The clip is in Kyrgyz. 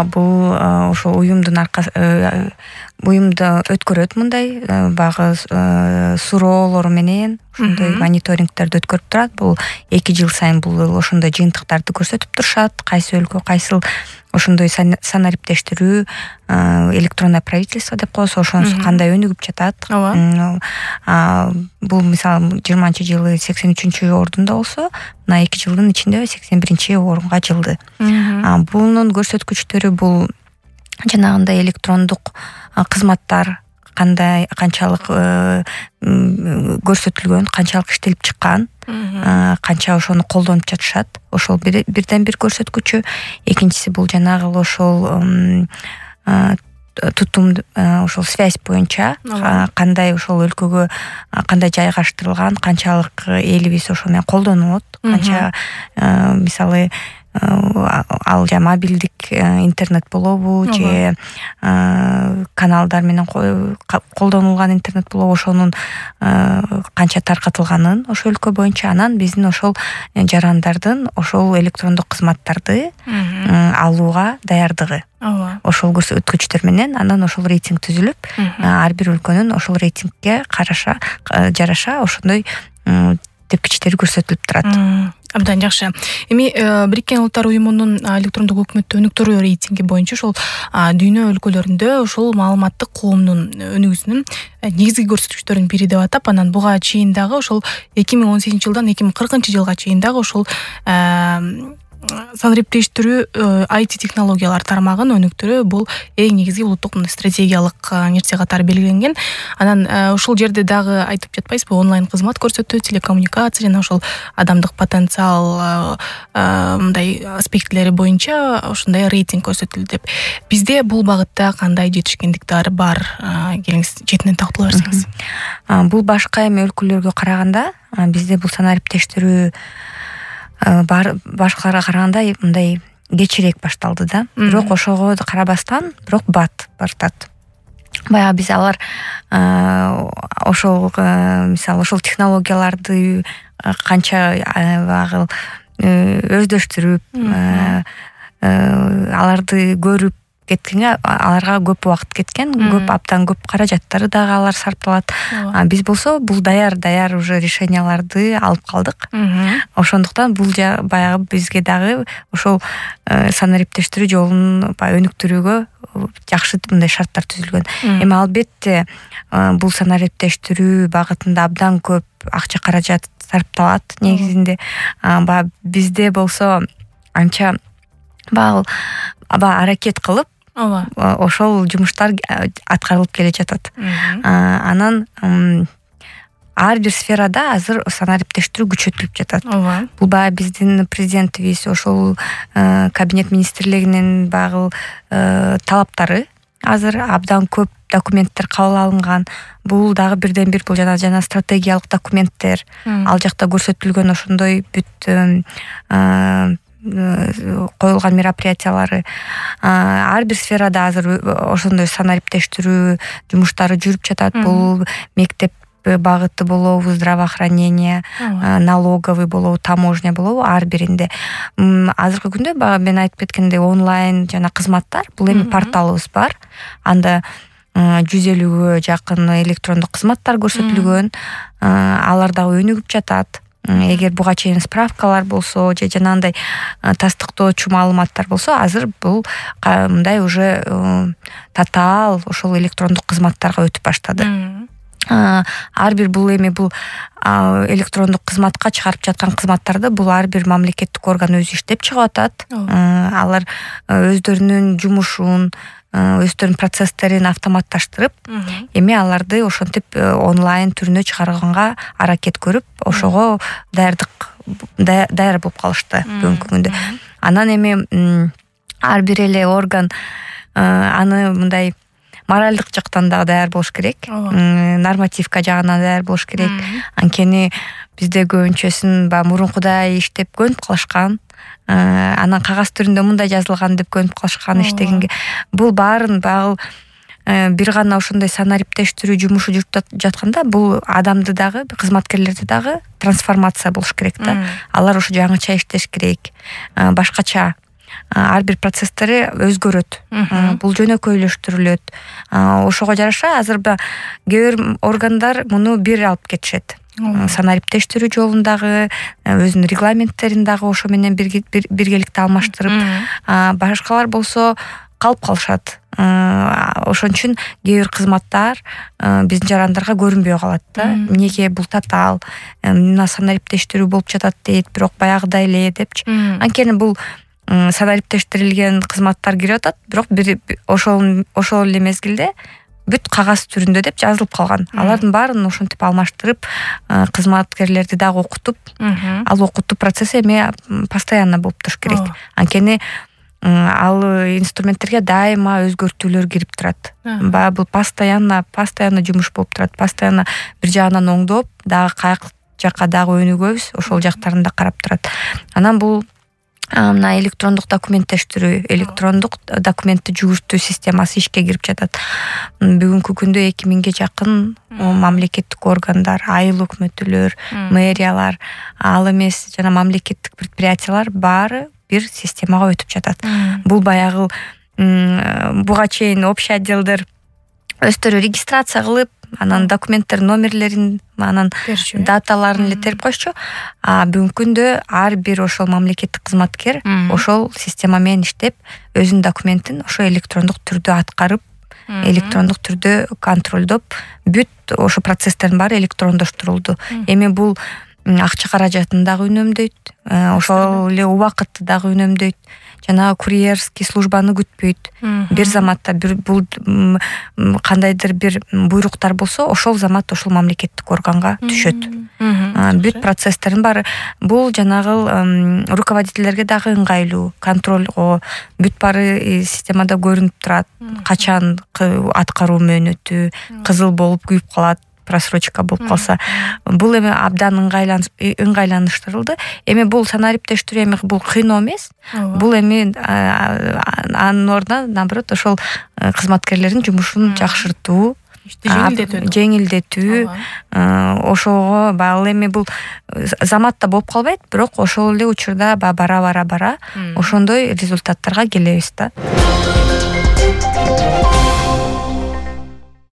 ооба, бул ошол уюмдун уюмда өткөрөт мындай багы суроолор менен ошондой мониторингтерди өткөрүп турат. Бул 2 жыл сайын бул ошондой жыйынтыктарды көрсөтүп турушат. Кайсы өлкө кайсыл ошондой санариптештирүү, электронное правительство деп коебуз, ошонусу кандай өнүгүп жатат. Бул мисалы 20-жылы 83-чү ордунда болсо, мына 2 жылдын ичинде 81-орунга жылды. Бунун көрсөткүчтөрү бул жанагындай электрондук кызматтар канчалык көрсөтүлгөн, канчалык иштелип чыккан, канча ошону колдонуп жатышат. Ошол бирден бир көрсөткүчү. Экинчиси бул жанагы ошол тутум, ошол связь боюнча кандай ошол өлкөгө кандай жайгаштырылган, канчалык элибиз ошол менен колдонот, канча мисалы ал мобилдик интернет болобу же каналдар менен колдонулган интернет болобу, ошонун канча таркатылганын ошол өлкө боюнча. Анан биздин ошол жарандардын ошол электрондук кызматтарды алууга даярдыгы, ошол көрсөткүчтөр менен анан ошол рейтинг түзүлүп, ар бир өлкөнүн ошол рейтингге жараша ошондой тепкичтери көрсөтүлүп турат. Абдан жакшы. Эми Бириккен Улуттар Уюмунун электрондук өкмөттү өнүктүрүү рейтинги боюнча ошол дүйнө өлкөлөрүндө ошол маалыматтык коомдун өнүгүүсүнүн негизги көрсөткүчтөрүнүн бири деп атап, анан буга чейин дагы ошол 2018-жылдан 2040-жылга чейин дагы ошол санариптештирүү IT технологиялар тармагын өнүктүрүү бул эң негизги улуттук стратегиялык нерсе катары белгиленген. Анан ошол жерде дагы айтып жатпайсызбы, онлайн кызмат көрсөтүү, телекоммуникация жана ошол адамдык потенциал мындай аспектилери боюнча ошондой рейтинг көрсөтүлдү деп. Бизде бул багытта кандай жетишкендиктер бар? Келиңиз четинен тактала берсеңиз. Бул башка эми өлкөлөргө караганда бизде бул санариптештирүү башкаларга караганда мындай кечирээк башталды да. Бирок ошого карабастан, бирок бартат. Баягы биз алар ошол мисалы ошол технологияларды канча багы өздөштүрүп, аларды көрүп кеткенге аларга көп убакыт кеткен, абдан көп каражаттары дагы алар сарпталат. Биз болсо бул даяр уже решенияларды алып калдык. Ошондуктан бул баягы бизге дагы ошол санариптештирүү жолун өнүктүрүүгө жакшы мындай шарттар түзүлгөн. Эми албетте бул санариптештирүү багытында абдан көп акча каражат сарпталат негизинде. Бизде болсо анча аракет кылып ошол жумуштар аткарылып келе жатат. Анан ар бир сферада азыр санариптештирүү күчөтүлүп жатат. Бул баягы биздин президентибиз ошол кабинет министрлигинин багы талаптары азыр абдан көп документтер кабыл алынган. Бул дагы бирден бир бул жана стратегиялык документтер. Ал жакта көрсөтүлгөн ошондой бүт коюлган мероприятиялары. Ар бир сферада азыр ошондой санариптештирүү жумуштары жүрүп жатат. Бул мектеп багыты болобу, здравоохранение, налоговый болобу, таможня болобу, ар биринде. Азыркы күндө мен айтып кеткендей онлайн жана кызматтар, бул эми порталыбыз бар. Анда 150-гө жакын электрондук кызматтар көрсөтүлгөн. Алар дагы өнүгүп жатат. Эгер буга чейин справкалар болсо же жанагындай тастыктоочу маалыматтар болсо, азыр бул мындай уже татаал ошол электрондук кызматтарга өтүп баштады. Ар бир бул электрондук кызматка чыгарып жаткан кызматтарды бул ар бир мамлекеттик орган өзү иштеп чыгып атат. Алар өздөрүнүн жумушун, өздөрүнүн процесстерин автоматташтырып, эми аларды ошентип онлайн түрүнө чыгарганга аракет көрүп, ошого даяр болуп калышты бүгүнкү күндө. Анан эми ар бир эле орган аны мындай моралдык жактан дагы даяр болуш керек, нормативка жагынан даяр болуш керек. Анткени бизде көбүнчөсүн мурункудай иштеп көнүп калышкан. Анан кагаз түрүндө мындай жазылган деп көнүп калышкан иштегенге. Бул баарын бир гана ошондой санариптештирүү жумушу жүрүп жатканда, бул адамды дагы, кызматкерлерди дагы трансформация болуш керек да. Алар ошо жаңыча иштеш керек, башкача ар бир процесстери өзгөрөт, бул жөнөкөйлөштүрүлөт. Ошого жараша азыр кээ бир органдар муну бир алып кетишет. Санариптештирүү жолундагы өзүнүн регламенттерин дагы ошо менен биргеликте алмаштырып, башкалар болсо калып калышат. Ошон үчүн кээ бир кызматтар биздин жарандарга көрүнбөй калат да. Эмнеге бул татаал, мына санариптештирүү болуп жатат дейт, бирок баягыдай эле депчи. Анткени бул санариптештирилген кызматтар кирип атат, бирок ошол эле мезгилде бүт кагаз түрүндө деп жазылып калган. Алардын баарын ошентип алмаштырып, кызматкерлерди дагы окутуп, ал окутуу процесси эми постоянно болуп туруш керек. Анткени ал инструменттерге дайыма өзгөртүүлөр кирип турат. Баягы бул постоянно жумуш болуп турат. Постоянно бир жагынан оңдоп, дагы каяк жакка дагы өнүгөбүз, ошол жактарын да карап турат. Анан бул мына электрондук документтештирүү, электрондук документти жүгүртүү системасы ишке кирип жатат. Бүгүнкү күндө 2000ге жакын мамлекеттик органдар, айыл өкмөттөр, мэриялар, ал эмес жана мамлекеттик предприятиялар баары бир системага өтүп жатат. Бул баягы буга чейин общий отделдер өздөрү регистрация кылып, анан документтер номерлерин, анан даталарын эле терип койчу. Бүгүнкү күндө ар бир ошол мамлекеттик кызматкер ошол система менен иштеп, өзүнүн документин ошо электрондук түрдө аткарып, электрондук түрдө контролдоп, бүт ошо процесстердин баары электрондоштурулду. Эми бул акча каражатын дагы үнөмдөйт, ошол эле убакытты дагы үнөмдөйт. Жана курьерский службаны күтпөйт. Бир заматта бул кандайдыр бир буйруктар болсо, ошол замат ошол мамлекеттик органга түшөт. Бүт процесстердин баары бул жанагы руководителерге дагы ыңгайлуу, контролго бүт баары системада көрүнүп турат. Качан аткаруу мөөнөтү, кызыл болуп күйүп калат, просрочка болуп калса, бул эми абдан ыңгайланыштырылды. Эми бул санариптештирүү эми бул кыйноо эмес. Бул эми анын ордуна наоборот ошол кызматкерлердин жумушун жакшыртуу, жеңилдетүү, ошого ал эми бул заматта болуп калбайт, бирок ошол эле учурда бара ошондой результаттарга келебиз да.